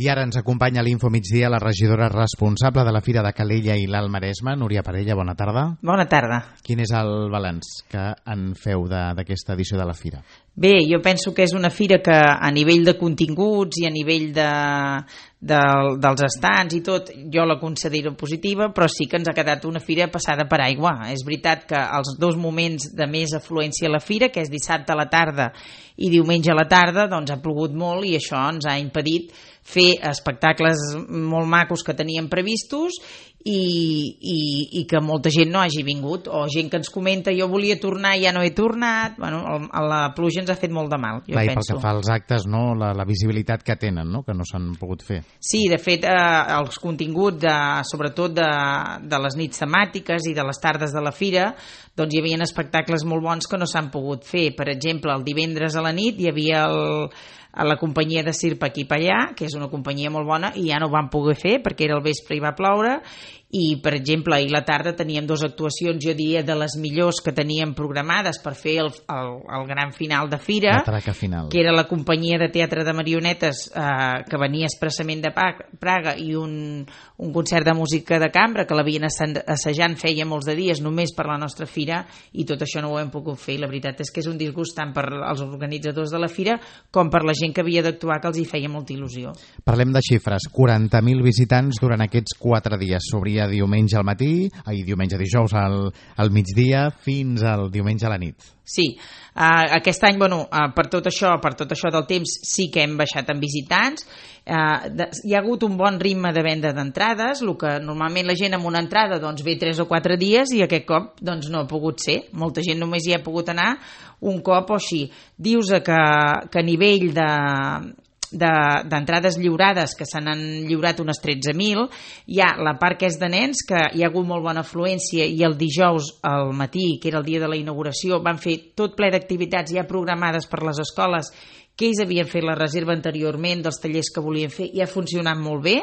I ara ens acompanya a l'Info Migdia la regidora responsable de la Fira de Calella i l'Alt Maresme, Núria Parella, bona tarda. Bona tarda. Quin és el balanç que en feu d'aquesta edició de la Fira? Bé, jo penso que és una fira que a nivell de continguts i a nivell dels estants i tot, jo la considero positiva, però sí que ens ha quedat una fira passada per aigua. És veritat que els dos moments de més afluència a la fira, que és dissabte a la tarda i diumenge a la tarda, doncs ha plogut molt i això ens ha impedit fer espectacles molt macos que teníem previstos i que molta gent no hagi vingut, o gent que ens comenta jo volia tornar i ja no he tornat. Bueno, la pluja ens ha fet molt de mal, jo penso. I pel que fa als actes, no? La visibilitat que tenen, no? Que no s'han pogut fer. Sí, de fet, els continguts, sobretot de les nits temàtiques i de les tardes de la fira, doncs hi havia espectacles molt bons que no s'han pogut fer. Per exemple, el divendres a la nit hi havia a la companyia de Circ Aquí pa Allà, que és una companyia molt bona, i ja no ho van poder fer perquè era el vespre i va ploure. I, per exemple, ahir a la tarda teníem dues actuacions, jo diria, de les millors que teníem programades per fer el gran final de fira, que era la companyia de teatre de marionetes que venia expressament de Praga, i un concert de música de cambra que l'havien assajant feia molts de dies només per la nostra fira, i tot això no ho hem pogut fer. La veritat és que és un disgust tant per als organitzadors de la fira com per la gent que havia d'actuar, que els hi feia molta il·lusió. Parlem de xifres. 40.000 visitants durant aquests 4 dies. S'obria diumenge al matí, dijous al migdia fins al diumenge a la nit. Sí, aquest any, per tot això del temps, sí que hem baixat en visitants. Hi ha hagut un bon ritme de venda d'entrades, el que normalment la gent amb una entrada doncs, ve 3 o 4 dies i aquest cop doncs, no ha pogut ser. Molta gent només hi ha pogut anar un cop o així. Dius que a nivell d'entrades lliurades, que se n'han lliurat unes 13.000, hi ha la part que és de nens, que hi ha hagut molt bona afluència, i el dijous al matí, que era el dia de la inauguració, van fer tot ple d'activitats ja programades per les escoles, que ells havien fet la reserva anteriorment dels tallers que volien fer, i ha funcionat molt bé.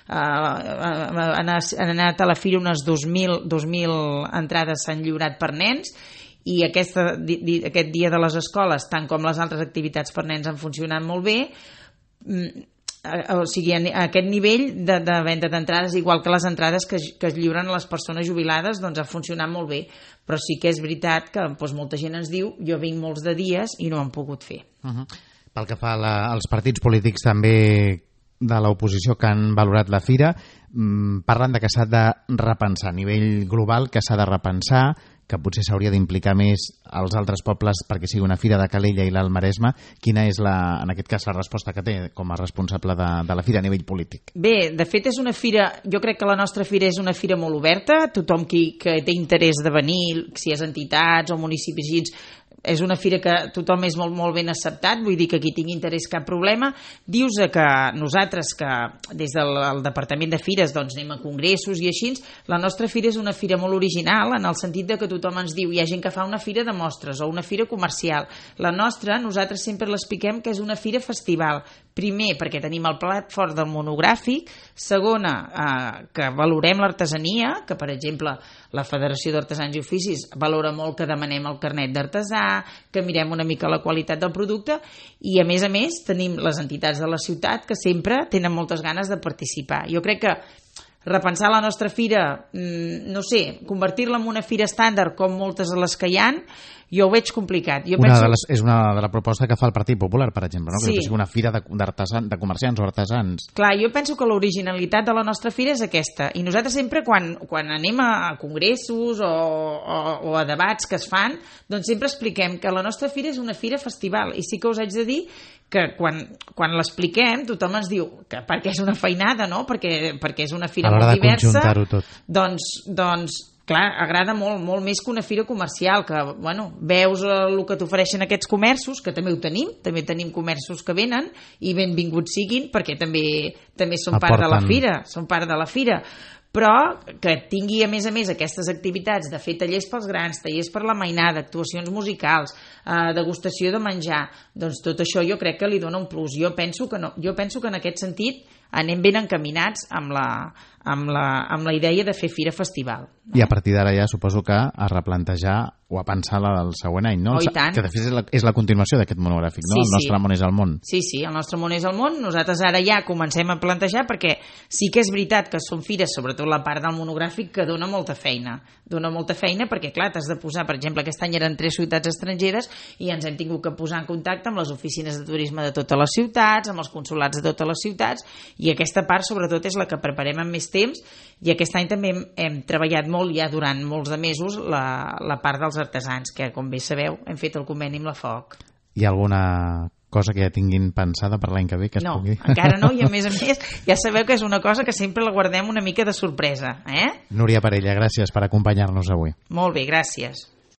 Han anat a la fira unes 2.000 entrades s'han lliurat per nens, i aquest dia de les escoles, tant com les altres activitats per nens, han funcionat molt bé. O sigui, a aquest nivell de venda d'entrades, igual que les entrades que es lliuren a les persones jubilades, doncs ha funcionat molt bé, però sí que és veritat que molta gent ens diu jo vinc molts de dies i no ho han pogut fer. Pel que fa als partits polítics també de l'oposició que han valorat la fira, parlen de que s'ha de repensar a nivell global, que s'ha de repensar, que potser s'hauria d'implicar més als altres pobles perquè sigui una fira de Calella i l'Alt Maresme. Quina és, en aquest cas, la resposta que té com a responsable de la fira a nivell polític? Bé, de fet és una fira, jo crec que la nostra fira és una fira molt oberta, tothom que té interès de venir, si és entitats o municipis així, és una fira que tothom és molt, molt ben acceptat, vull dir que qui tingui interès cap problema. Dius que nosaltres, que des del Departament de Fires doncs anem a congressos i així, la nostra fira és una fira molt original en el sentit de que tothom ens diu, hi ha gent que fa una fira de mostres o una fira comercial. La nostra, nosaltres sempre l'expliquem que és una fira festival. Primer, perquè tenim el plat fort del monogràfic. Segona, que valorem l'artesania, que per exemple la Federació d'Artesans i Oficis valora molt que demanem el carnet d'artesà, que mirem una mica la qualitat del producte, i a més tenim les entitats de la ciutat que sempre tenen moltes ganes de participar. Jo crec que repensar la nostra fira, no sé, convertir-la en una fira estàndard com moltes de les que hi ha, jo ho veig complicat. És una de la proposta que fa el Partit Popular, per exemple, no? Sí. Que sigui una fira de comerciants o artesans. Clar, jo penso que l'originalitat de la nostra fira és aquesta, i nosaltres sempre quan anem a congressos o a debats que es fan, doncs sempre expliquem que la nostra fira és una fira festival, i sí que us haig de dir que quan l'expliquem tothom ens diu que perquè és una feinada, no? Perquè és una fira molt diversa. A l'hora de conjuntar-ho tot. Doncs clar, agrada molt, molt més que una fira comercial, que, veus el que t'ofereixen aquests comerços, que també ho tenim, també tenim comerços que venen, i benvinguts siguin, perquè també són part de la fira, però que tingui a més aquestes activitats de fer tallers pels grans, tallers per la mainada, actuacions musicals, degustació de menjar, doncs tot això jo crec que li dona un plus. Jo penso que en aquest sentit anem ben encaminats amb la idea de fer fira festival. I a partir d'ara ja suposo que a replantejar o a pensar la del següent any, no? Oh, i tant. Que de fet és la continuació d'aquest monogràfic, no? El nostre món és el món. Sí, el nostre món és el món. Nosaltres ara ja comencem a plantejar, perquè sí que és veritat que són fires, sobretot la part del monogràfic, que dona molta feina. Dona molta feina perquè, clar, t'has de posar, per exemple, aquest any eren 3 ciutats estrangeres i ens hem tingut que posar en contacte amb les oficines de turisme de totes les ciutats, amb els consulats de totes les ciutats, i aquesta part, sobretot, és la que preparem amb més temps, i aquest any també hem treballat molt ja durant molts de mesos la part dels artesans, que com bé sabeu hem fet el conveni amb la FOC. Hi ha alguna cosa que ja tinguin pensada per l'any que ve que es pugui? No, encara no, i a més ja sabeu que és una cosa que sempre la guardem una mica de sorpresa. Núria Parella, gràcies per acompanyar-nos avui. Molt bé, gràcies.